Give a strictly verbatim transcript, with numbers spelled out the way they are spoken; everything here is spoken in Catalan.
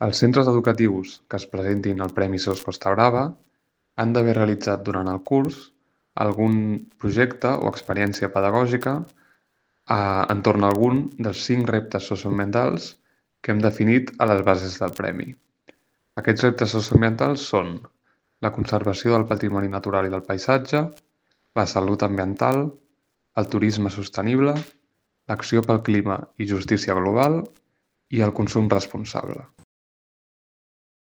Els centres educatius que es presentin al Premi Sos Costa Brava han d'haver realitzat durant el curs algun projecte o experiència pedagògica eh, entorn a algun dels cinc reptes socioambientals que hem definit a les bases del Premi. Aquests reptes socioambientals són la conservació del patrimoni natural i del paisatge, la salut ambiental, el turisme sostenible, l'acció pel clima i justícia global i el consum responsable.